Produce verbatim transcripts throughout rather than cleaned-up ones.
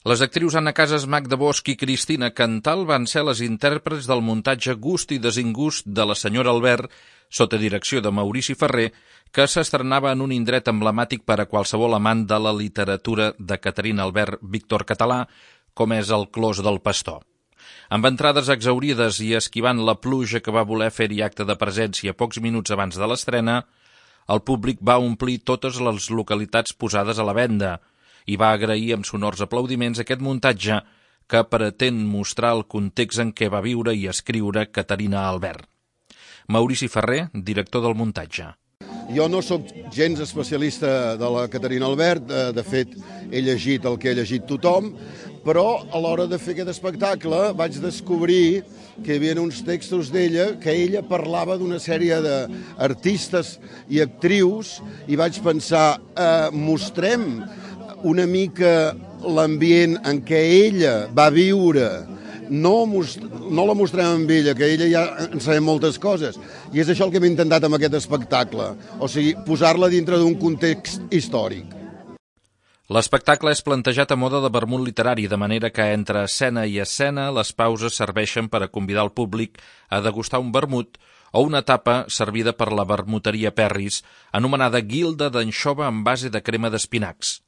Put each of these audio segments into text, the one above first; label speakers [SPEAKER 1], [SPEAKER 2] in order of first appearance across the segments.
[SPEAKER 1] Les actrius Anna Casas, Magda Bosch i Cristina Cantal van ser les intèrprets del muntatge Gust i desingust de la senyora Albert, sota direcció de Maurici Ferrer, que s'estrenava en un indret emblemàtic per a qualsevol amant de la literatura de Caterina Albert Víctor Català, com és el Clos del Pastor. Amb entrades exaurides i esquivant la pluja que va voler fer-hi acte de presència pocs minuts abans de l'estrena, el públic va omplir totes les localitats posades a la venda i va agrair amb sonors aplaudiments aquest muntatge que pretén mostrar el context en què va viure i escriure Caterina Albert. Maurici Ferrer, director del muntatge.
[SPEAKER 2] Jo no sóc gens especialista de la Caterina Albert, de, de fet he llegit el que ha llegit tothom, però a l'hora de fer aquest espectacle vaig descobrir que hi havia uns textos d'ella que ella parlava d'una sèrie d'artistes i actrius i vaig pensar, eh, mostrem una mica l'ambient en què ella va viure. No, no la mostrem amb ella, que ella ja en sabem moltes coses. I és això el que hem intentat amb aquest espectacle. O sigui, posar-la dintre d'un context històric.
[SPEAKER 1] L'espectacle és plantejat a moda de vermut literari, de manera que entre escena i escena les pauses serveixen per a convidar el públic a degustar un vermut o una tapa servida per la vermuteria Perris, anomenada guilda d'anxova en base de crema d'espinacs.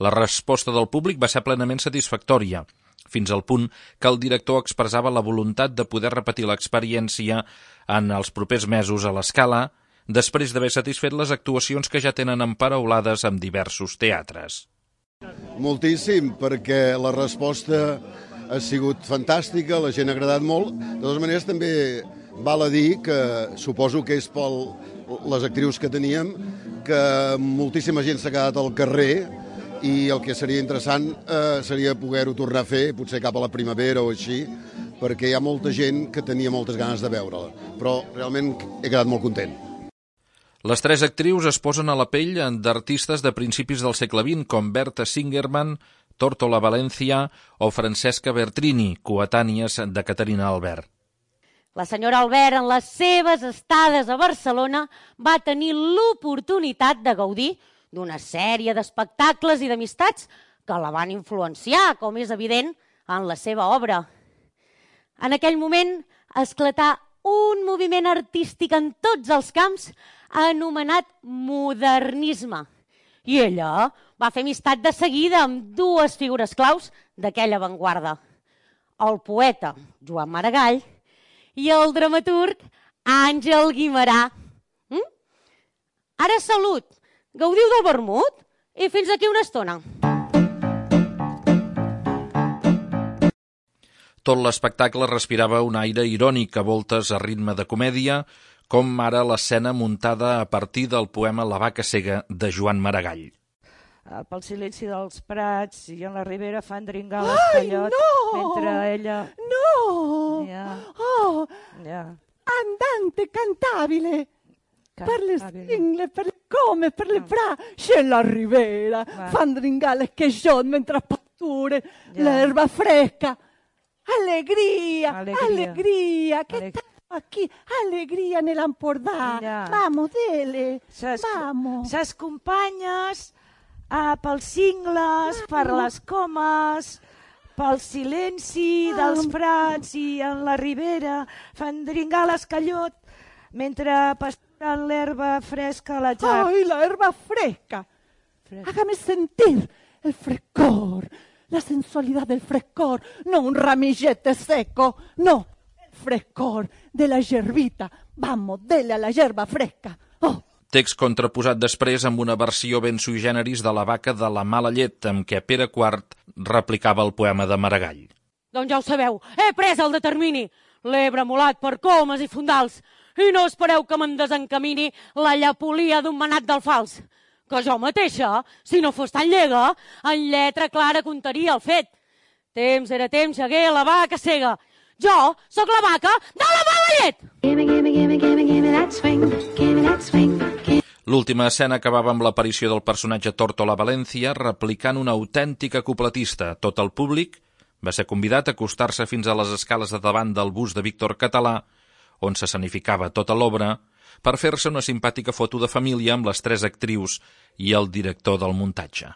[SPEAKER 1] La resposta del públic va ser plenament satisfactòria, fins al punt que el director expressava la voluntat de poder repetir l'experiència en els propers mesos a l'Escala, després d'haver satisfet les actuacions que ja tenen emparaulades amb diversos teatres.
[SPEAKER 2] Moltíssim, perquè la resposta ha sigut fantàstica, la gent ha agradat molt. De totes maneres, també val a dir que suposo que és per les actrius que teníem, que moltíssima gent s'ha quedat al carrer i el que seria interessant eh, seria poder-ho tornar a fer, potser cap a la primavera o així, perquè hi ha molta gent que tenia moltes ganes de veure-la. Però realment he quedat molt content.
[SPEAKER 1] Les tres actrius es posen a la pell d'artistes de principis del segle vint, com Berta Singerman, Tórtola Valencia o Francesca Bertrini, coetànies de Caterina Albert.
[SPEAKER 3] La senyora Albert, en les seves estades a Barcelona, va tenir l'oportunitat de gaudir d'una sèrie d'espectacles i d'amistats que la van influenciar, com és evident, en la seva obra. En aquell moment esclatà un moviment artístic en tots els camps anomenat modernisme. I ella va fer amistat de seguida amb dues figures claus d'aquella avantguarda. El poeta Joan Maragall i el dramaturg Àngel Guimerà. Mm? Ara salut! Gaudiu del vermut i fins aquí una estona.
[SPEAKER 1] Tot l'espectacle respirava un aire irònic a voltes a ritme de comèdia, com ara l'escena muntada a partir del poema La vaca cega de Joan Maragall.
[SPEAKER 4] Pel silenci dels prats i en la ribera fan dringar l'escallot no! mentre ella...
[SPEAKER 5] No!
[SPEAKER 4] Ja.
[SPEAKER 5] Oh!
[SPEAKER 4] Ja.
[SPEAKER 5] Andante cantabile! Per le
[SPEAKER 4] Cantabile.
[SPEAKER 5] stingle, per le come, per le fra, c'è la ribera,
[SPEAKER 4] Va.
[SPEAKER 5] fan dringare le chesciot mentre pasture,
[SPEAKER 4] Ja.
[SPEAKER 5] l'erba fresca. Allegria,
[SPEAKER 4] Allegria.
[SPEAKER 5] allegria, che
[SPEAKER 4] Alleg-
[SPEAKER 5] tanto aquí, allegria nell'Empordà.
[SPEAKER 4] Ja.
[SPEAKER 5] Vamos, dele,
[SPEAKER 4] Ses,
[SPEAKER 5] vamos.
[SPEAKER 4] ses companyes ah, pels cingles, per les comes, pel silenci dels prats i en la ribera fan dringar l'escallot mentre pasturen l'herba fresca a la jar.
[SPEAKER 5] Ay, la herba fresca.
[SPEAKER 4] Fresca.
[SPEAKER 5] Hágame sentir el frescor, la sensualidad del frescor, no un ramillete seco, no, el frescor de la yerbita. Vamos, dele a la yerba fresca. Oh.
[SPEAKER 1] Text contraposat després amb una versió ben sui generis de La vaca de la mala llet, amb què Pere quart replicava el poema de Maragall.
[SPEAKER 3] Doncs ja ho sabeu, he pres el determini. L'he bremolat per comes i fondals. I no espereu que me'n desencamini la llapolia d'un manat del fals. Que jo mateixa, si no fos tan llega, en lletra clara contaria el fet. Temps era temps, hagué la vaca cega. Jo sóc la vaca de la mala llet!
[SPEAKER 6] Gimme, gimme, gimme, gimme, gimme that swing, gimme that swing.
[SPEAKER 1] L'última escena acabava amb l'aparició del personatge Tórtola Valencia replicant una autèntica cupletista. Tot el públic va ser convidat a acostar-se fins a les escales de davant del bust de Víctor Català, on s'escenificava tota l'obra, per fer-se una simpàtica foto de família amb les tres actrius i el director del muntatge.